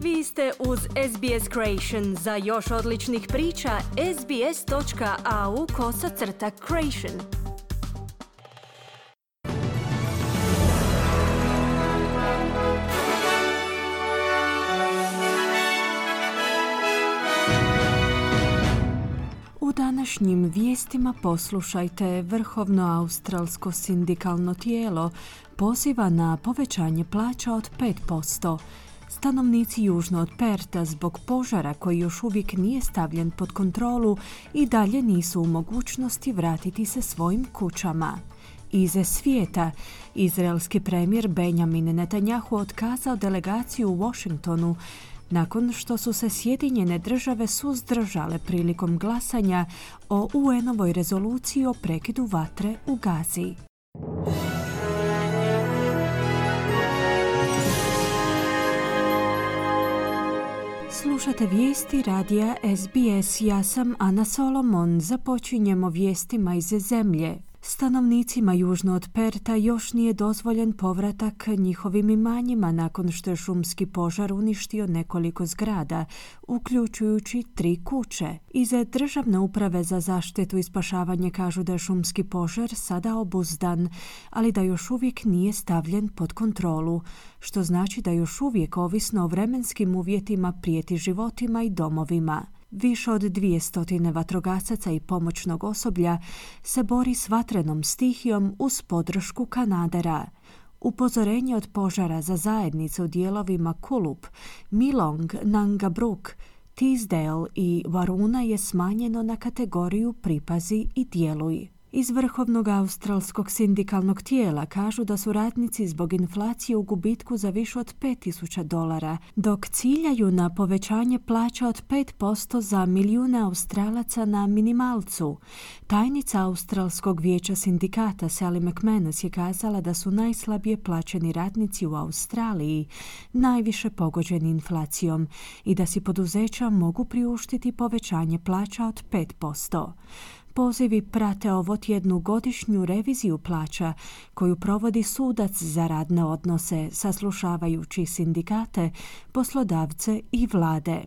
Vi ste uz SBS Creation. Za još odličnih priča, sbs.au/creation. U današnjim vijestima poslušajte, Vrhovno australsko sindikalno tijelo poziva na povećanje plaća od 5%. Stanovnici južno od Perta zbog požara koji još uvijek nije stavljen pod kontrolu i dalje nisu u mogućnosti vratiti se svojim kućama. Iz svijeta, izraelski premijer Benjamin Netanjahu otkazao delegaciju u Washingtonu nakon što su se Sjedinjene države suzdržale prilikom glasanja o UN-ovoj rezoluciji o prekidu vatre u Gazi. Slušate vijesti radija SBS. Ja sam Ana Solomon. Započinjemo vijestima iz zemlje. Stanovnicima južno od Perta još nije dozvoljen povratak njihovim imanjima nakon što je šumski požar uništio nekoliko zgrada, uključujući 3 kuće. Iz Državne uprave za zaštitu i spašavanje kažu da je šumski požar sada obuzdan, ali da još uvijek nije stavljen pod kontrolu, što znači da još uvijek, ovisno o vremenskim uvjetima, prijeti životima i domovima. Više od 200 vatrogasaca i pomoćnog osoblja se bori s vatrenom stihijom uz podršku kanadera. Upozorenje od požara za zajednice u dijelovima Kulup, Milong, Nangabruk, Teesdale i Waruna je smanjeno na kategoriju pripazi i djeluj. Iz Vrhovnog australskog sindikalnog tijela kažu da su radnici zbog inflacije u gubitku za više od $5,000, dok ciljaju na povećanje plaća od 5% za milijune Australaca na minimalcu. Tajnica Australskog vijeća sindikata Sally McManus je kazala da su najslabije plaćeni radnici u Australiji najviše pogođeni inflacijom i da si poduzeća mogu priuštiti povećanje plaća od 5%. Pozivi prate ovotjednu godišnju reviziju plaća koju provodi sudac za radne odnose, saslušavajući sindikate, poslodavce i vlade.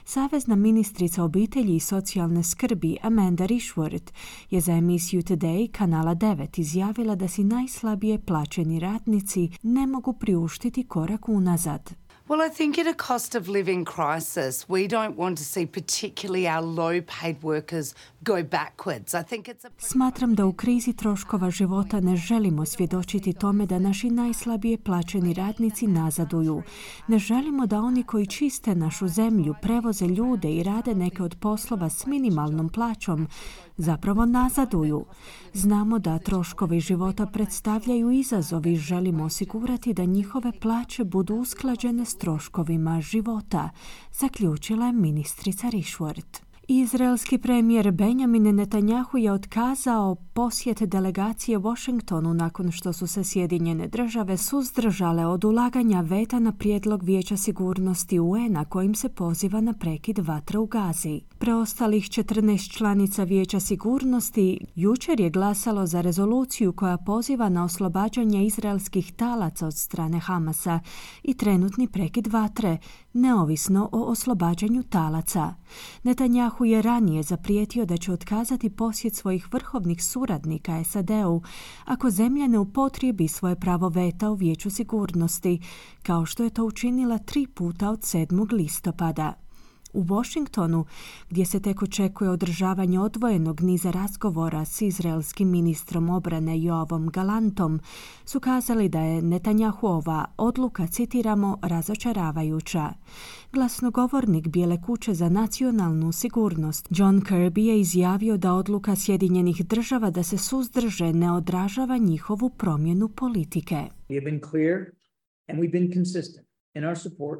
Savezna ministrica obitelji i socijalne skrbi Amanda Rishworth je za emisiju Today kanala 9 izjavila da si najslabije plaćeni radnici ne mogu priuštiti korak unazad. Well, I think at a cost of living crisis, we don't want to see particularly our low-paid workers go backwards. I think it's Smatram da u krizi troškova života ne želimo svjedočiti tome da naši najslabije plaćeni radnici nazaduju. Ne želimo da oni koji čiste našu zemlju, prevoze ljude i rade neke od poslova s minimalnom plaćom zapravo nazaduju. Znamo da troškovi života predstavljaju izazov i želimo osigurati da njihove plaće budu usklađene s troškovima života, zaključila je ministrica Rishworth. Izraelski premijer Benjamin Netanjahu je otkazao posjet delegacije Washingtonu nakon što su se Sjedinjene države suzdržale od ulaganja veta na prijedlog Vijeća sigurnosti UN-a kojim se poziva na prekid vatre u Gazi. Preostalih 14 članica Vijeća sigurnosti jučer je glasalo za rezoluciju koja poziva na oslobađanje izraelskih talaca od strane Hamasa i trenutni prekid vatre, neovisno o oslobađanju talaca. Netanjahu je ranije zaprijetio da će otkazati posjet svojih vrhovnih suradnika SAD-u ako zemlja ne upotrijebi svoje pravo veta u Vijeću sigurnosti, kao što je to učinila 3 puta od 7. listopada. U Washingtonu, gdje se tek očekuje održavanje odvojenog niza razgovora s izraelskim ministrom obrane Joavom Galantom, su kazali da je Netanjahuova odluka, citiramo, razočaravajuća. Glasnogovornik Bijele kuće za nacionalnu sigurnost John Kirby je izjavio da odluka Sjedinjenih država da se suzdrže ne odražava njihovu promjenu politike. We have been clear and we've been consistent in our support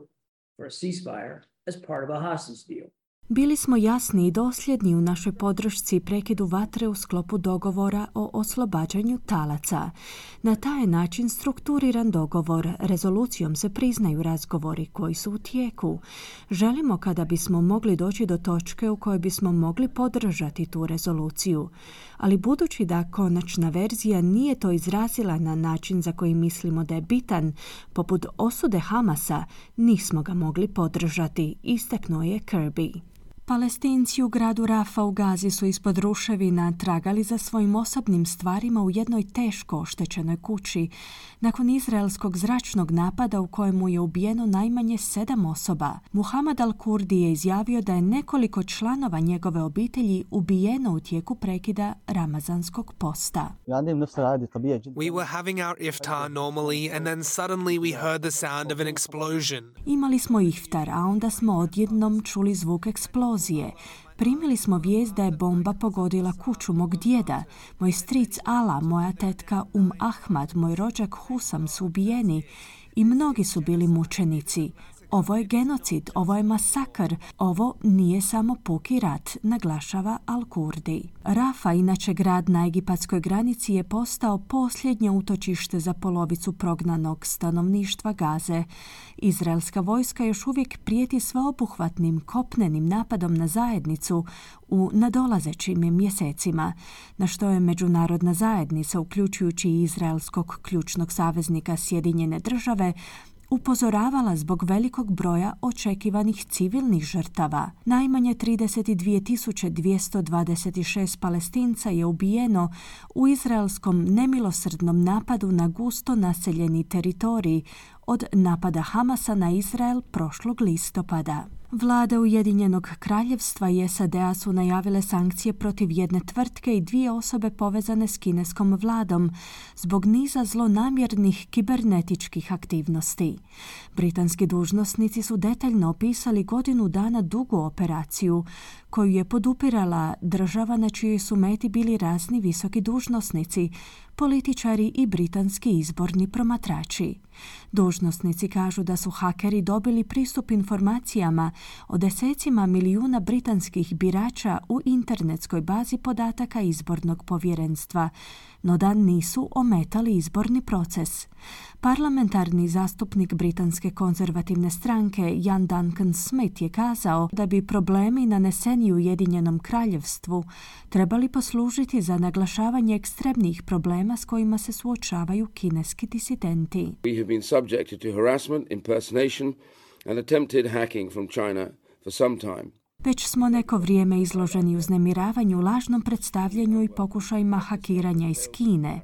for a ceasefire as part of a hostage deal. Bili smo jasni i dosljedni u našoj podršci prekidu vatre u sklopu dogovora o oslobađanju talaca. Na taj način strukturiran dogovor, rezolucijom se priznaju razgovori koji su u tijeku. Želimo kada bismo mogli doći do točke u kojoj bismo mogli podržati tu rezoluciju. Ali budući da konačna verzija nije to izrazila na način za koji mislimo da je bitan, poput osude Hamasa, nismo ga mogli podržati, istaknuo je Kirby. Palestinci u gradu Rafa u Gazi su ispod ruševina tragali za svojim osobnim stvarima u jednoj teško oštećenoj kući nakon izraelskog zračnog napada u kojemu je ubijeno najmanje 7 osoba. Muhammad al-Kurdi je izjavio da je nekoliko članova njegove obitelji ubijeno u tijeku prekida ramazanskog posta. We were having our iftar normally and then suddenly we heard the sound of an explosion. Imali smo iftar, a onda smo odjednom čuli zvuk eksplozije. Primili smo vijest da je bomba pogodila kuću mog djeda. Moj stric Ala, moja tetka Ahmad, moj rođak Husam su ubijeni i mnogi su bili mučenici. Ovo je genocid, ovo je masakr, ovo nije samo puki rat, naglašava Al-Kurdi. Rafa, inače grad na egipatskoj granici, je postao posljednje utočište za polovicu prognanog stanovništva Gaze. Izraelska vojska još uvijek prijeti sveobuhvatnim kopnenim napadom na zajednicu u nadolazećim mjesecima, na što je međunarodna zajednica, uključujući i izraelskog ključnog saveznika Sjedinjene Države, upozoravala zbog velikog broja očekivanih civilnih žrtava. Najmanje 32.226 Palestinca je ubijeno u izraelskom nemilosrdnom napadu na gusto naseljeni teritorij od napada Hamasa na Izrael prošlog listopada. Vlade Ujedinjenog kraljevstva i SAD-a su najavile sankcije protiv jedne tvrtke i 2 osobe povezane s kineskom vladom zbog niza zlonamjernih kibernetičkih aktivnosti. Britanski dužnosnici su detaljno opisali godinu dana dugu operaciju koju je podupirala država na čijoj su meti bili razni visoki dužnosnici, političari i britanski izborni promatrači. Dužnosnici kažu da su hakeri dobili pristup informacijama o desecima milijuna britanskih birača u internetskoj bazi podataka izbornog povjerenstva, no da nisu ometali izborni proces. Parlamentarni zastupnik britanske konzervativne stranke Ian Duncan Smith je kazao da bi problemi naneseni Ujedinjenom kraljevstvu trebali poslužiti za naglašavanje ekstremnih problema s kojima se suočavaju kineski disidenti. We have been subjected to harassment, impersonation and attempted hacking from China for some time. Već smo neko vrijeme izloženi uznemiravanju, lažnom predstavljanju i pokušajima hakiranja iz Kine.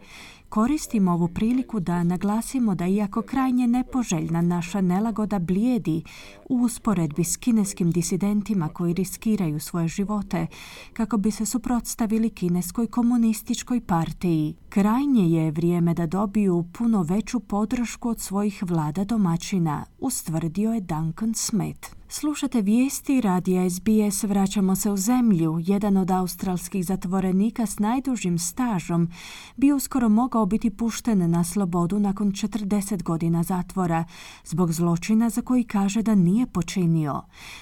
Koristimo ovu priliku da naglasimo da iako krajnje nepoželjna naša nelagoda blijedi u usporedbi s kineskim disidentima koji riskiraju svoje živote kako bi se suprotstavili kineskoj komunističkoj partiji. Krajnje je vrijeme da dobiju puno veću podršku od svojih vlada domaćina, ustvrdio je Duncan Smith. Slušate vijesti radija SBS. Vraćamo se u zemlju. Jedan od australskih zatvorenika s najdužim stažom bi uskoro mogao biti pušten na slobodu nakon 40 godina zatvora zbog zločina za koji kaže da nije počinio.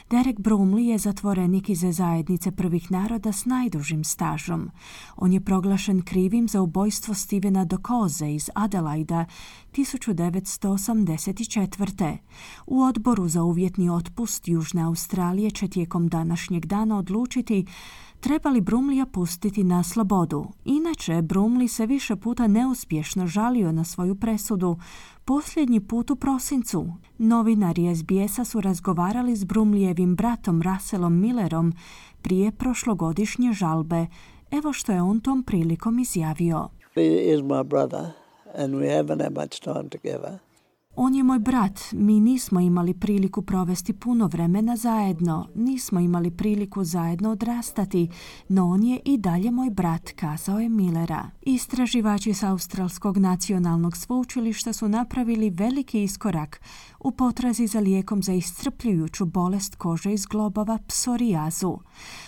Derek Brumley je zatvorenik iz zajednice prvih naroda s najdužim stažom. On je proglašen krivim za ubojstvo Stevena Dokoze iz Adelaida 1984. U odboru za uvjetni otpust Južne Australije će tijekom današnjeg dana odlučiti treba li Brumleya pustiti na slobodu. Inače, Brumley se više puta neuspješno žalio na svoju presudu, posljednji put u prosincu. Novinari SBS-a su razgovarali s Brumleyevim bratom Russellom Millerom prije prošlogodišnje žalbe. Evo što je on tom prilikom izjavio. He is my brother and we haven't had much time together. On je moj brat, mi nismo imali priliku provesti puno vremena zajedno, nismo imali priliku zajedno odrastati, no on je i dalje moj brat, kazao je Millera. Istraživači s Australskog nacionalnog sveučilišta su napravili veliki iskorak u potrazi za lijekom za iscrpljujuću bolest kože iz globova psorijazu.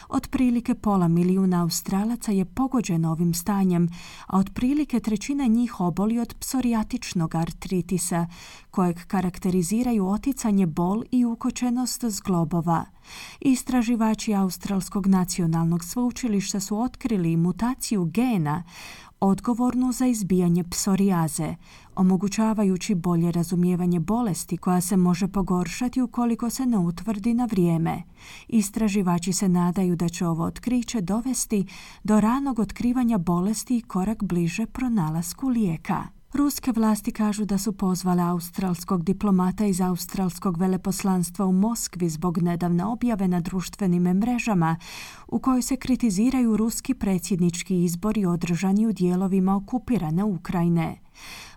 Otprilike 500.000 Australaca je pogođeno ovim stanjem, a otprilike 1/3 njih oboli od psorijatičnog artritisa, kojeg karakteriziraju oticanje, bol i ukočenost zglobova. Istraživači Australskog nacionalnog sveučilišta su otkrili mutaciju gena odgovornu za izbijanje psorijaze, omogućavajući bolje razumijevanje bolesti koja se može pogoršati ukoliko se ne utvrdi na vrijeme. Istraživači se nadaju da će ovo otkriće dovesti do ranog otkrivanja bolesti i korak bliže pronalasku lijeka. Ruske vlasti kažu da su pozvale australskog diplomata iz australskog veleposlanstva u Moskvi zbog nedavne objave na društvenim mrežama u kojoj se kritiziraju ruski predsjednički izbori održani u dijelovima okupirane Ukrajine.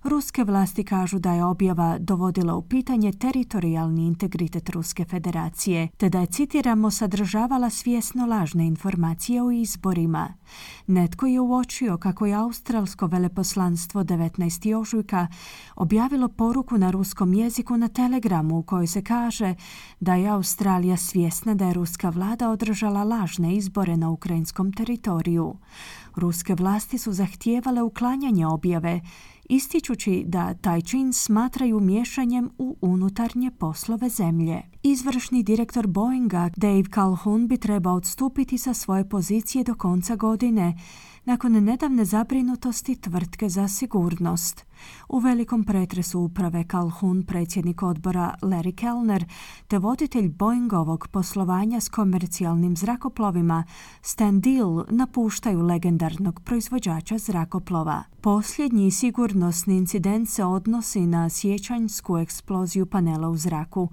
Ruske vlasti kažu da je objava dovodila u pitanje teritorijalni integritet Ruske federacije, te da je, citiramo, sadržavala svjesno lažne informacije o izborima. Netko je uočio kako je australsko veleposlanstvo 19. ožujka objavilo poruku na ruskom jeziku na Telegramu u kojoj se kaže da je Australija svjesna da je ruska vlada održala lažne izbore na ukrajinskom teritoriju. Ruske vlasti su zahtijevale uklanjanje objave, ističući da taj čin smatraju miješanjem u unutarnje poslove zemlje. Izvršni direktor Boeinga Dave Calhoun bi trebao odstupiti sa svoje pozicije do konca godine, nakon nedavne zabrinutosti tvrtke za sigurnost. U velikom pretresu uprave Calhoun, predsjednik odbora Larry Kellner, te voditelj Boeingovog poslovanja s komercijalnim zrakoplovima Stan Deal napuštaju legendarnog proizvođača zrakoplova. Posljednji sigurnosni incident se odnosi na siječanjsku eksploziju panela u zraku,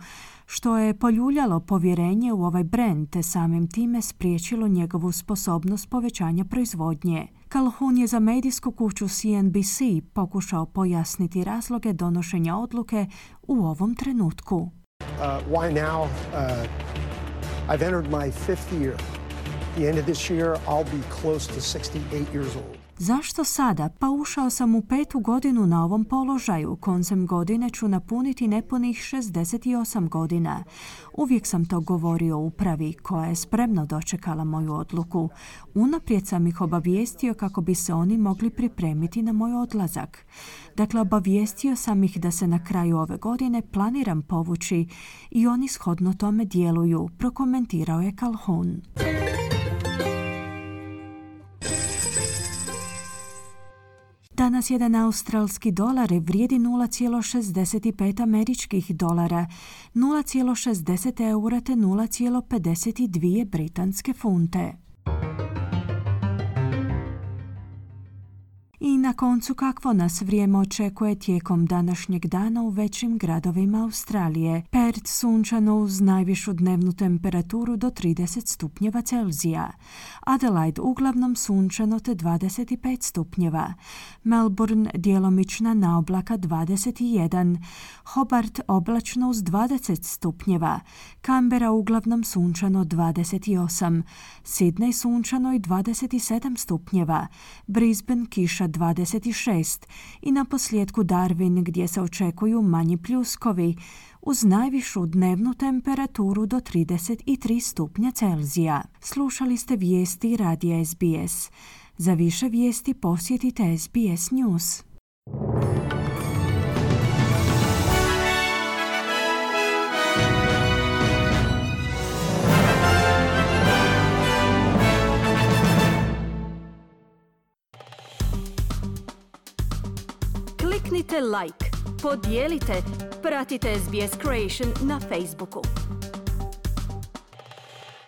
što je poljuljalo povjerenje u ovaj brend te samim time spriječilo njegovu sposobnost povećanja proizvodnje. Calhoun je za medijsku kuću CNBC pokušao pojasniti razloge donošenja odluke u ovom trenutku. Why now? I've entered my 5th year. At the end of this year, I'll be close to 68 years old. Zašto sada? Pa ušao sam u 5. godinu na ovom položaju. Koncem godine ću napuniti nepunih 68 godina. Uvijek sam to govorio upravi koja je spremno dočekala moju odluku. Unaprijed sam ih obavijestio kako bi se oni mogli pripremiti na moj odlazak. Dakle, obavijestio sam ih da se na kraju ove godine planiram povući i oni shodno tome djeluju, prokomentirao je Calhoun. Danas jedan australski dolar vrijedi 0,65 američkih dolara, 0,60 eura te 0,52 britanske funte. I na koncu, kakvo nas vrijeme očekuje tijekom današnjeg dana u većim gradovima Australije. Perth sunčano uz najvišu dnevnu temperaturu do 30 stupnjeva Celzija. Adelaide uglavnom sunčano te 25 stupnjeva. Melbourne djelomična naoblaka 21. Hobart oblačno uz 20 stupnjeva. Canberra uglavnom sunčano 28. Sydney sunčano i 27 stupnjeva. Brisbane kiša 26 i na posljedku Darwin gdje se očekuju manji pljuskovi uz najvišu dnevnu temperaturu do 33 stupnja Celzija. Slušali ste vijesti radija SBS. Za više vijesti posjetite SBS News. Kliknite like, podijelite, pratite SBS Creation na Facebooku.